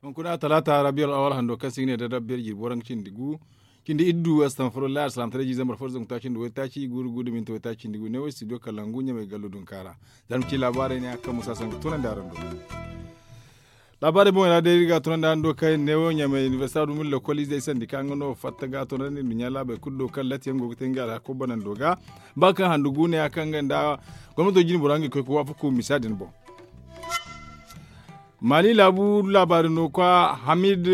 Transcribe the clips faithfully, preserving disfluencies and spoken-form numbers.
Hunkuna talaata rabiyal awal hando kaŋ se i ga ne da rabiyal jirbi waranka cindi gu, cindi iddu astanfurullah alsalamtaray jiizambar fo da zangu taaci nda waytaaci guuru guuru da minti waytaaci cindi gu ne wo studio kalangu ɲamay gallo dunka ra. Za ni ma ci laabaarey ne a kaŋ musa sangu tunandi araŋ do. Laabaarey boŋey ra day iri ga a tunandi araŋ do kaŋ ne wo ɲamay inibersita dumil lokol izey sandi kaŋ nga no fatta ga a tunandi nduɲɲa laabey kulu do kaŋ latti yaŋ go ga te nga alhako banando ga. Ba kaŋ handu gu ne a kaŋ nga nda gomnato jine bora nga i koy ga waafaku misa din boŋ. Mali laabu laabaari no kwa hamid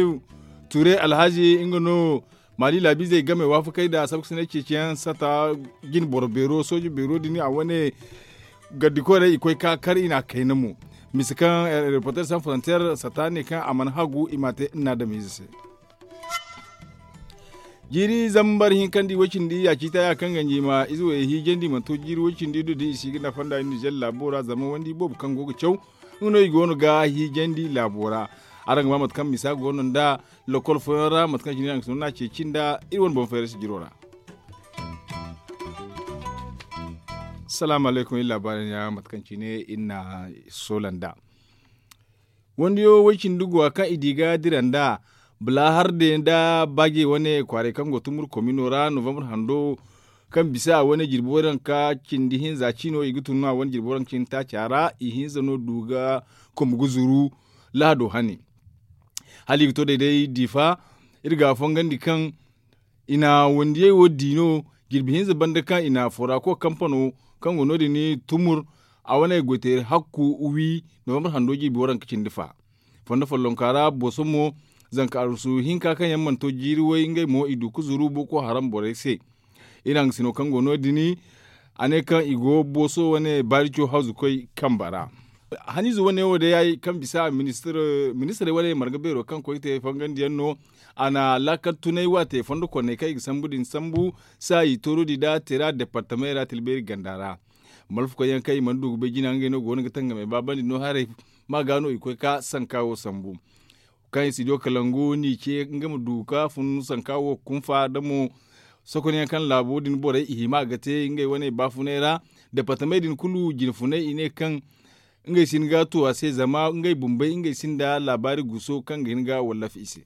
ture alhazi nga no mali laabiizey game waafakey nda sabkasinay ceeciyaŋ sata jine boro beero sooje beero din a wane gardi koyrey i koy ka kar i n'a kayna mo. Mise kaŋ reporter san frontier sata ne kaŋ a mana hagu i m'a te nna adamiize se. Jiiri zambar hinkandi way cindi ya ciita ya kaŋ ganji ma ize way hiijandi mana to jiiri way cindi do da i si ga nafa nda nizer laabo ra zama wandi boobo kaŋ go ga caw nga no i go no ga hiijandi laabo ra. Araŋ ga ba mate kaŋ misa go no nda lokol fooyaŋ ra mate kaŋ cindi araŋ ga sinda no a ceeci nda iri wane boŋ fayra si jiro ra. Salaamu alaykum iri laabaari ne ya mate kaŋ cine iri na soola nda wandiyo way cindi go a kaŋ i di ga dira nda bala harde nda baaje wane kwaaray kaŋ go tumur komino ra novambar hando kaŋ bisa a wane jirbi waranka cindi hinza ciino i ga tun no a wane jirbi waranka cindi taaca ra i hinza no du ga kombu ga zuru lahado hane. Hala i ga to day day diifa iri ga a fongandi kaŋ i na wandiyey wo di no jirbi hinza banda kaŋ i na forako kampano kaŋ go no- din tumur a wane goyteeri hakku wi novambar hando jirbi waranka cindi fa. Fondo follonka ra boso mo zanka arwasu hinka kaŋ yaŋ mana to jiiri way ngey mo i du ga zuru boko haram borey se. Iri haŋgasino kaŋ go no- din a ne kaŋ i go booso wane baarico hawzukoy kamba ra. Haniize wane wo day kaŋ bisa ministirey wane marga beero kaŋ koy te fangandi yaŋ no a na laakal tunay waate fondo konney kaŋ i ga sambu din sambu saayi toorodi nda tera departamey ra tilbeeri ganda ra. Malfakoy yaŋ kaŋ i mana du ga bay jina ngey no go no ga tangamey baabandi no haray ma ga no i koy ka sanka wo sambu. Kaŋ i si do kalangu ni ce nga ma du ka fun sanka wo kunfa da mo sokonyaŋ kaŋ laabo din borey i hima ga te ngey wane baafunay ra. Departamey din kulu jinfunay i ne kaŋ ngey si hin ga a tu a se zama ngey bumbey ngey sinda laabaari guso kaŋ ga hin ga wallafi i se.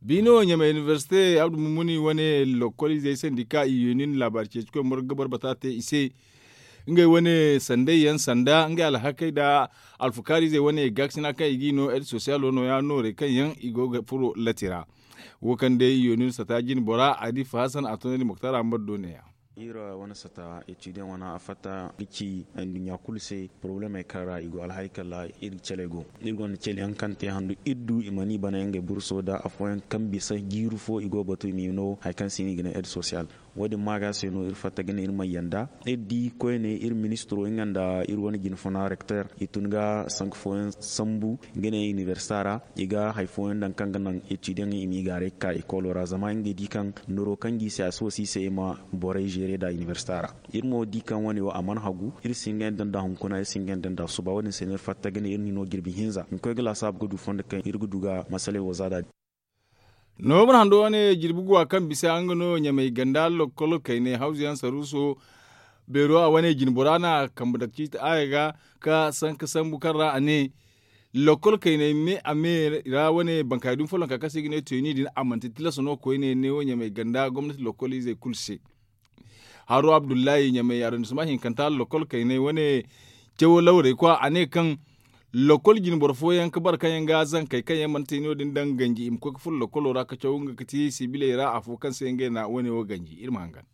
Biino ɲamay inibersite abdu mummuni wane lokol izey sandi ka i yeenin laabaari ceecikoy morgo ga boro bata te i se. Ngey wane sandey yaŋ sanda ngey alhakey nda alfukaari izey wane gaakasina kaŋ i g'i no ed sosiyalo nooya noorey kaŋ yaŋ i go ga furo latti ra. Wo kaŋ day i yeenin sata jine bora a di fahasan a tunandi moktar a ma boro do neeya. Iri wane sata etidiyaŋ wane a fatta ga ci nduɲɲa kulu se porobalemey kaŋ ra i go alhari kaŋ ra iri caley go. Iri gonda cale yaŋ kaŋ te handu iri du i mana i bana ngey burso nda afooyaŋ kaŋ bisa jiiri fo i go ga batu i ma i no hari kaŋ se no i ga ne ed sosiyal. Wo- din ma ga se no iri fatta ga ne iri mana yanda iri di koyne iri ministiro nga nda iri wane jinfuna rekter i tun ga sanka fooyaŋ sambu nga ne inibersita ra. I ga hari fooyaŋ daŋ kaŋ ga naŋ etidiyaŋ i m'i gaaray ga ka ekolo ra zama ngey di kaŋ noro kaŋ g'i se a si wasi i se i ma borey zeere nda inibersita ra. Iri mo di kaŋ wane wo a mana hagu iri si hin ga yaŋ daŋ nda hunkuna iri si hin ga yaŋ daŋ nda suba wo- din se no iri fatta ga ne iri na i no jirbi hinza i ma koy ga laasaabu ga du fondo kaŋ iri ga du ga masaley wo za nd'a. Noobur hando wane jirbi guwa kaŋ bisa nga no ɲamay ganda lokol kaynay hawzu yaŋ saruuso beero a wane jine bora na kambe dake ciiti aaya ga ka sanka sambu kaŋ ra a ne lokol kaynay me a me ra wane bankaaray dumi follonka kaŋ se i ga ne teeni din a manti tilas no koyne neewo ɲamay ganda gomnati lokol izey kulu se. Haro abdullahi ɲamay arrondissement hinkanta lokol kaynay wane cawo lawrey kwa a ne kaŋ lokol jine boro fooyaŋ ga bare kaŋ yaŋ ga zankey kaŋ yaŋ mana te no- din daŋ ganji i ma koy ga furo lokolo ra ga caw nga ga ti sibiley ra afo kaŋ se ngey na wane wo ganji iri ma hangan.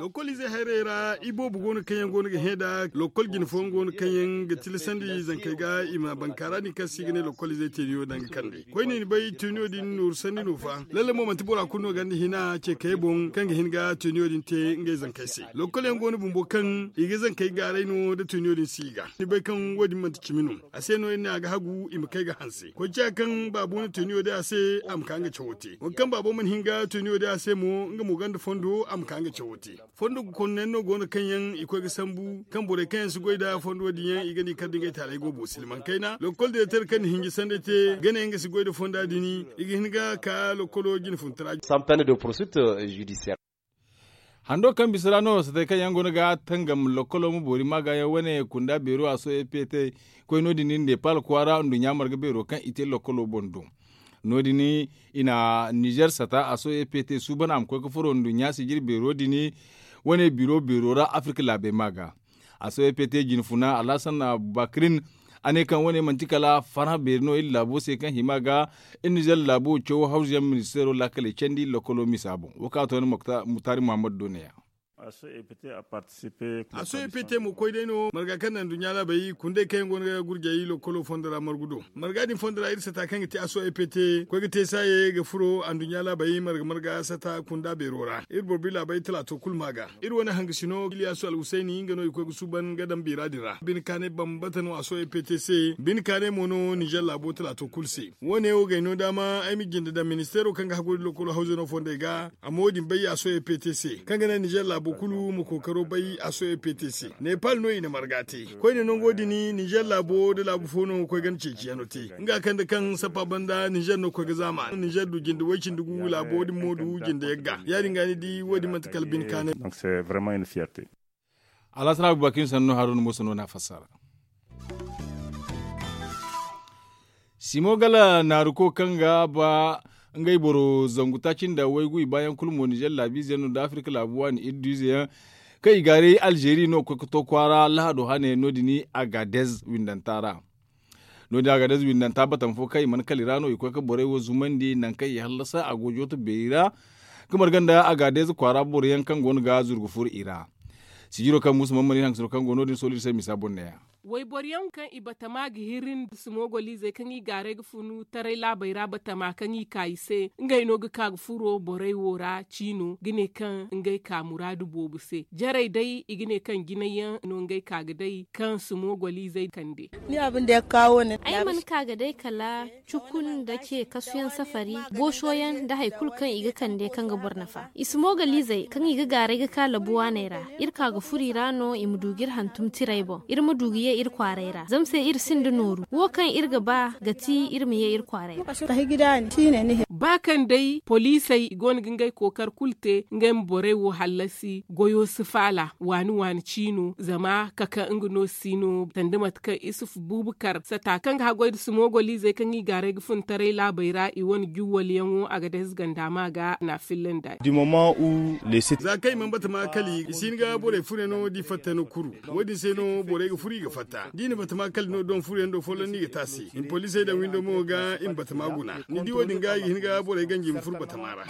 Lokol izey hayrey ra iboobo go no kaŋ yaŋ go no ga hẽ nd'a lokol jine fooyaŋ go no kaŋ yaŋ ga tilasandi zankey ga i ma bankaara din kaŋ se i ga ne lokol izey teeniyo daŋ ga kande koyne ni bay teeniyo din nooru sanni no fa lalle mo manti bora kulu no gonda hina ce kayey boŋ kaŋ ga hin ga teeniyo din te ngey zankey se. Lokol yaŋ go no bumbo kaŋ i ga zankey gaaray no da teeniyo din si i ga ni bay kaŋ wo- din manti cimi no. A se no iri ne a ga hagu i ma kay ga hanse koy ciya kaŋ baabo na teeniyo day a se a ma ka nga cawo te waŋ kaŋ baabo mana hin ga teeniyo day a se mo. Nga mo gonda fondo a ma ka nga cawo te. Fondo ga konno yaŋ no go no kaŋ yaŋ i koy ga sambu kaŋ borey kaŋ yaŋ si goy nda fondo din yaŋ i ga ni kar da ngey taaley go bo silman kayna lokol direter kaŋ na hinji sanday te ga ne nga si goy nda fonda din i ga hin ga ka lokolo jine funtara. Hando kaŋ bisa ra no satay kaŋ yaŋ go no ga tangam lokolo ma boori maaga yaŋ wane kunda beero a so ept koy no- din nepal kwaara nduɲɲa marga beero kaŋ i te lokolo boŋ do. No- din i na nizer sata a so ept suuban a ma koy ga furo nduɲɲa sijir beero din wane biro beero ra afirka laabey maaga. A so ept jine funa alhasan abubakirin a ne kaŋ wane manti kala farhã beeri no iri laabo se kaŋ hima ga iri nizer laabo cawo hawzu yaŋ ministeero laakaley candi lokolo misa boŋ wo kaŋ a to ni muktaari muhammad do ne- ya. A so ept mo koy day no marga kaŋ na nduɲɲa laabey kundey kaŋ yaŋ go no ga gurjey lokolo fondo ra margu do. Marga din fondo ra iri sata kaŋ ga te a so ept koy ga te saaye ga furo anduɲɲa laabey marga marga sata kunda beero ra iri boro bi laabey talaato kulu ma ga. Iri wane hangasino iliyasu alhusayni nga no i koy ga suuban ga daŋ biira din ra bine kaanay bambata no a so ept se bine kaanay mo no nizer laabo talaato kulu se. Wo- ne wo gay no daama ay ma jinde daŋ ministeero kaŋ ga haggoy da lokolo hawzano fondey ga. Amma wo- din bay a so ept se kaŋ ga naŋ nizer laabo kulu ma kookaro bay a so ept se. Nepal no i na marga te koyne nango din nizer laabo nda laabu fo no ga koy ganda ceeciyaŋo te. Nga kaŋ da kaŋ sappa banda nizer no ga koy ga zaama nizer du jinde way cindi gu laabo din mo du jinde yagga ya- din ga ni di wo- din manti kala bine kaanay. Alhasan abubakirin sannu haruna muusa no na a fassara. Simo gala naaruko kaŋ ga ba ngey boro zangu taaci nda waygu i baayaŋ kulu mo nizer laabiize yaŋ no nda afirka laabu waani iri du ize yaŋ kaŋ i gaaray alzeeri no ga koy ga to kwaara lahado hane no- din agadez windanta ra. No- din agadez windanta batama fo kaŋ i mana kala i ra no i koy ga borey wo zumandi nangu kaŋ i hallasa a go jooto beeri ra ga marga nda agadez kwaara boro yaŋ kaŋ go no ga zurgu furo i ra. Sijiro kaŋ muusa mana mana iri hangasino kaŋ go no- din soolu iri se misa boŋ ne- ya. Wayboro yaŋ kaŋ i batama ga hiri nda simogoliizey kaŋ i gaaray ga funu taray laabey ra batama kaŋ i ka i se ngey no ga ka ga furo borey wo ra ciino ga ne kaŋ ngey ka muraadu boobo se jarey day i ga ne kaŋ jinay yaŋ no ngey ka ga day kaŋ simogoliizey kande. Ay mana ka ga day kala cukun nda ce kasuyaŋ safari booso yaŋ nda hari kulu kaŋ i ga kande kaŋ ga boro nafa i simogoliizey kaŋ i ga gaaray ga ka labu waaney ra. Iri ka ga furo i ra no i ma du ga iri hantum tiray boŋ iri ma du ga ye iri kwaaray ra zama se iri sinda nooru wo kaŋ iri ga ba ga ti iri ma ye iri kwaaray ra. Ba kaŋ day poliisey i go no ga ngey kookar kulu te ngey ma borey wo hallasi goyo si faala waani waani ciino zama kaka nga no si no sanda mate kaŋ isuf buubakar sata kaŋ ga haggoy nda simogoliizey kaŋ i gaaray ga fun taray laabey ra i wane juwwalyaŋo a ga day ze ganda ma ga na a fillandi. Za kaŋ i mana batama kali i si hin ga borey furyaŋo da i fatta no kuru. Wo- din se no borey ga furu i ga fatta da i na batama kali no doŋ furyaŋ do folloŋ no i ga te a se i ma poliisey daŋ windo mo ga i ma batama guna ni di wo- din ga i ga hin ga borey ganji i ma furu batama ra.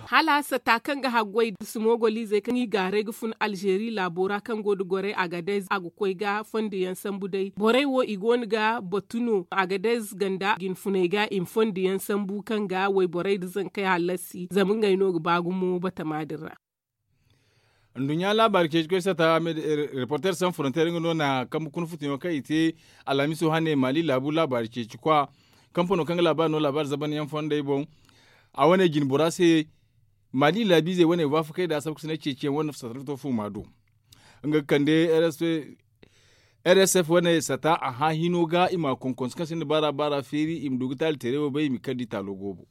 Hala sata kaŋ ga haggoy nda simogoliizey kaŋ i gaaray ga fun alzeeri laabo ra kaŋ go nda gorey agadez a ga koy ga fondo yaŋ sambu day borey wo i go no ga batu no agadez ganda jinfuney ga i ma fondo yaŋ sambu kaŋ ga wayborey nda zankey hallasi zama ngey no ga ba gumo batama din ra. Nduɲɲa laabaari ceeci koy sata reporter sans frontier nga no na kambe kuna futuyaŋo kaŋ i te alhamiso hane maali laabu laabaari ceeci kwa kampano kaŋ ga laabaari no laabaari zabanyaŋ fondey boŋ. A wane jine bora se maali laabiizey wane waafakey nda a sabka sinay ceeciyaŋ wane sata fuuma do. Nga ga kande rsf wane sata a hã hino ga i ma konkonse kaŋ sinda baara baara feeri i ma du ga taali teeray wo bay i ma kar da i taalo goobo.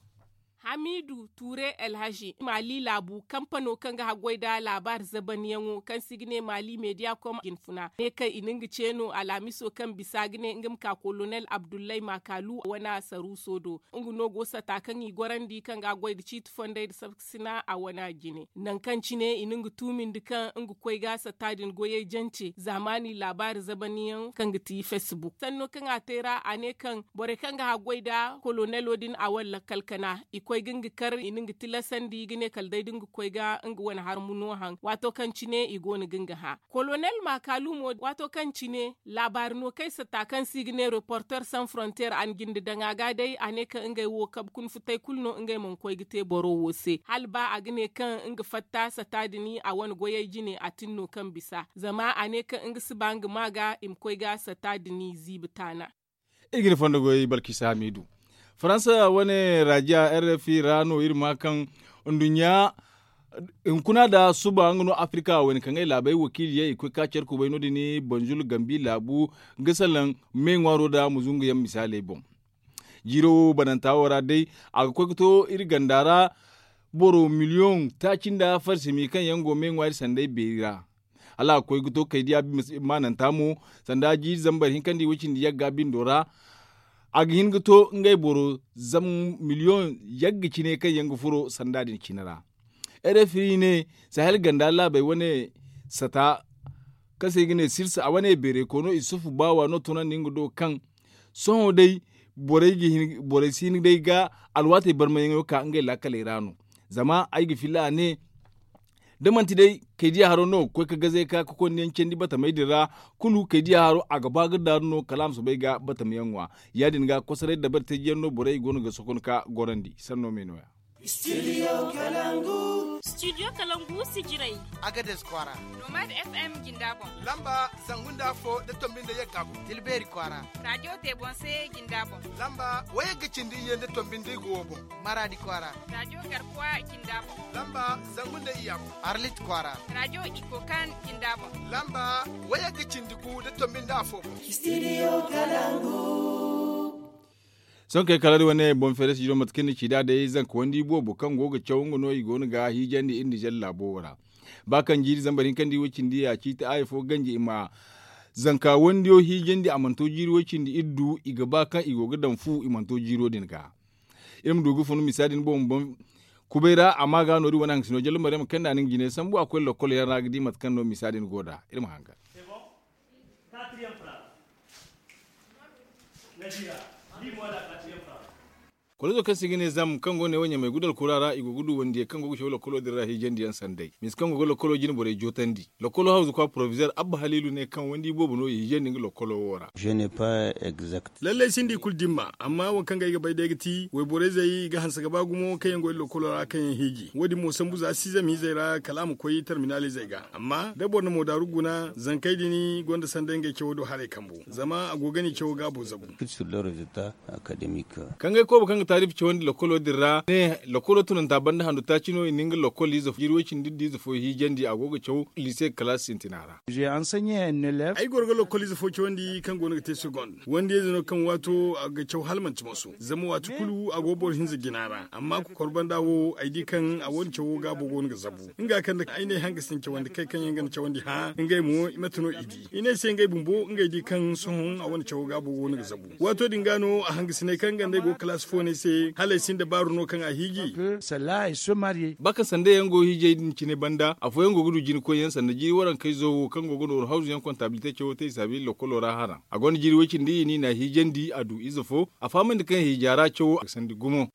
Hamidu ture alhazi maali laabu kampano kaŋ ga haggoy nda laabaari zabanyaŋo kaŋ se i ga ne maali mediya kom jinfuna ne kaŋ i na nga ce no alhamiso kaŋ bisa ga ne nga ma ka kolonel abdullahi makalu wane saruuso do. Nga no go sata kaŋ i gorandi kaŋ ga goy nda ciiti fondey nda sabkasina a wane jine nangu kaŋ cine i na nga tuumindi kaŋ nga koy ga sata din goyey jance zaamaani laabaari zabanyaŋ kaŋ ga ti facebook sanno kaŋ a te ra a ne kaŋ borey kaŋ ga haggoy nda kolonelo din a wane lakkal kana i koy ga nga kar i na nga tilasandi ga ne kala day da nga koy ga nga wane harmu no haŋ waato kaŋ cine i go no ga nga hã. Kolonel makalu mo waato kaŋ cine laabaari no kaŋ ay satta kaŋ se i ga ne reporter sans frontier a na jinde daŋ a ga day a ne kaŋ ngey wo kabe kuna futay kulu no ngey mana koy ga te boro wo se hala ba a ga ne kaŋ nga fatta satta din a wane goyey jine a tin no kaŋ bisa zama a ne kaŋ nga si ba nga ma ga i ma koy ga satta din ziibi taana. Iri ga ni fondo goy balkisa hamidu faransa wane rajiya rfi ra no iri ma kaŋ nduɲɲa Hunkuna nda suba nga no afirika wayna kaŋ ay laabey wakiili yaŋ i koy ga ka care kubay no- din banzul gambi laabu ga salaŋ me ŋwaaro nda muzungu yaŋ misaaley boŋ. Jiiro wo bananta wo ra day a ga koy ga to iri ganda ra boro miliyoŋ taaci nda farsimi kaŋ yaŋ go me ŋwaari sanday beeri ra. Hala a ga koy ga to kaydiya maananta mo sanda jiiri zambar hinka nda i way cindi yagga bindo ra. A ga hin ga to ngey boro zama miliyoŋ yagga cine kaŋ yaŋ ga furo sanda din cine ra. Rfi ne sahel ganda laabey wane sata kaŋ se i ga ne sirsa a wane beeray koono isufu baawa no tunandi nga do kaŋ sohõ day borey si hin day ga alwaatey barmayaŋo ka ngey laakaley ra no. Zama ay ga filla a ne da manti day kaydiya haro no ga koy ga gazey ka ga konda yaŋ candi batamey din ra kulu kaydiya haro a ga ba ga daaru no kala a ma soobay ga batamyaŋ ŋwa. Ya- din ga kosoray dabari teeji yaŋ no borey i go no ga sokon ga gorandi sanno me no- ya. Studio kalangu sijirey. Agades kwaara. Nomad fm jinda boŋ. Lamba zangu nda afo nda tombi nda yagga boŋ. Tilbeeri kwaara. Radiyo tebonse jinda boŋ. Lamba wayagga cindi iyye nda tombi nda igo wo boŋ. Maraadi kwaara. Radiyo garkuwa jinda boŋ. Lamba zangu nda iyya boŋ. Arlit kwaara. Radiyo ikokan jinda boŋ. Lamba wayagga cindi gu nda tombi nda afo boŋ. Sohõ kay kala da wane boŋ feere si jiro mate kaŋ ni ci nd'a day zanka wandi boobo kaŋ go ga caw nga no i go no ga hiijandi iri nizer laabo wo ra. Ba kaŋ jiiri zambar hinka nda i way cindi ya ciiti aya fo ganji i ma zanka wandiyo hiijandi a mana to jiiri way cindi iri du i ga ba kaŋ i go ga daŋ fu i mana to jiiro din ga. Iri ma du ga fun misa din boŋ boŋ kubay ra amma ga no- din wane haŋ ga si no jalla maryama kaŋ nda ni ga jine sambu a koy lokkol yaŋ ra ga di mate kaŋ no misa din go nd'a iri ma hangan. Kolozo kaŋ se i ga ne zam kaŋ go ne wo ɲamay gudu alkura ra i go ga du wandiyey kaŋ go ga caw lokolo din ra hiijandi yaŋ sanday misa kaŋ go ga lokolo jine borey jootandi lokolo hawzu kwa porovizer abba haliilu ne kaŋ wandi boobo no i hiijandi nga lokolo wo ra. Lallay sinda i kulu dimma amma wo kaŋ ga ay ga bay day ga ti wayborey zey i ga hanse ga ba gumo kaŋ yaŋ go iri lokolo ra kaŋ yaŋ hiiji wo- din mo sambu za si zama izey ra kala a ma koy tarminal izey ga amma da boro na moodaaru guna zankey din gonda sanda ngey cawo do haray kambu zama a go ga ni cawo gaabo zabu. Kaŋ ga ay kooba kaŋ ga taarifi cawandi lokolo din ra ne lokolo tunanta banda handu taaci no i na nga lokol ize fo jiiri way cindi da ize fo hiijandi a go ga caw liise kalaasi sintina ra. Ay goro ga lokol ize fo cawandi kaŋ go no ga te segond wandiyayze no kaŋ waato a ga caw hala manti moso zama waati kulu a go boro hinza jina ra amma kokor banda wo ay di kaŋ a wane cawo gaabo go no ga zabu nga kaŋ da ay ne hanga sinda cawandi kay kaŋ yaŋ ga na cawandi hã ngey mo mate no i di i ne ay se ngey bumbo ngey di kaŋ sohõ a wane cawo gaabo go no ga zabu waato din ga no a hangasiney kaŋ ganda ay go kalaasi fo no ay se hala ay sinda baaru no kaŋ a hiiji. Ba kaŋ sanda yaŋ go hiijay din cine banda afooyaŋ go ga du jina koyyaŋ sanda jiiri warankey zo wo kaŋ go ga nooru hawzu yaŋ kontabilite cawo te i saabi lokolo ra haraŋ a gonda jiiri way cindi i ni na hiijandi a du ize fo a fahamandi kaŋ hiija ra cawo a ga sandi gumo.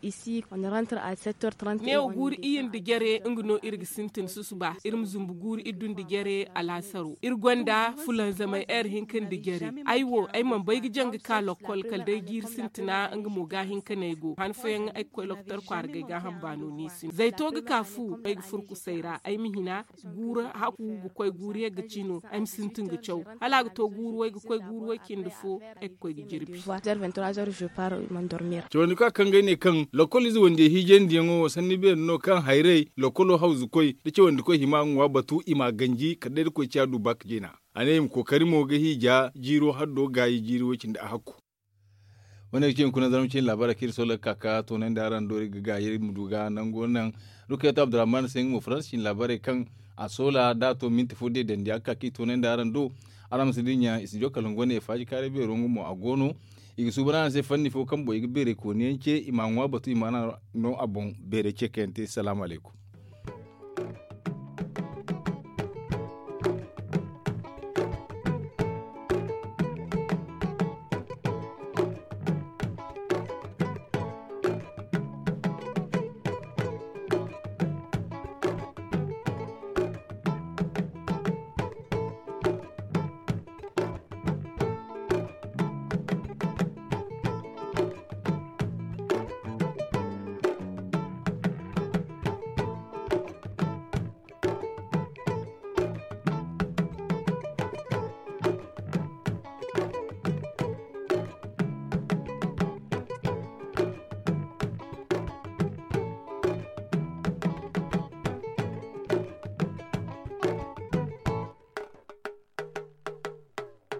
Neewo guuru iyye nda jare nga no iri ga sintin susuba iri ma zumbu guuru iddu nda jare alaasaro iri gonda fulanzamay heure hinka nda jare. Ay wo ay mana bay ga jaŋ ga ka lokkol kala day jiiri sintina nga mo ga hinka no ay go han fooyaŋ ay ga koy lokotor kwaara ga ay gaaham baano no i sinda zayto ga ka fu ay ga furkusay ra ay ma hina guuru haku ga koy guuru yagga cino ay ma sintin ga caw hala a ga to guuru way ga koy guuru way cindi fo ay ga koy ga jirbi. Cawandi ka kaŋ ga ay ne kaŋ lokol ize wande hiijandiyaŋo wo sanni beeri no kaŋ hayray lokolo hawzu koy da cawandi koy hima ga ŋwa batu i ma a ganji kala day da koy ciya du ba ka jina. A ne i ma kookari mo ga hiija jiiro haddo gaayi jiiri way cindi a hakku. Wane ga ci hunkuna zarma cine laabaarey kaŋ iri soola ga ka ga toonandi araŋ do iri ga gaayi iri ma du ga nango naŋ. Rukayatu abdurrahman se nga mo faransa cine laabaarey kaŋ a soola da a to minti fo deedandi a ga ka ga i toonandi araŋ do. Araŋ ma si dinya i si jo kala nga wane faaji kaaray beero nga mo a go no. I ga suuban araŋ se fanni fo kaŋ boŋ i ga beeray kooniyaŋ ce i ma a ŋwa batu i ma a no a boŋ beeray ce kaŋ yaŋ te salaamu alaykum.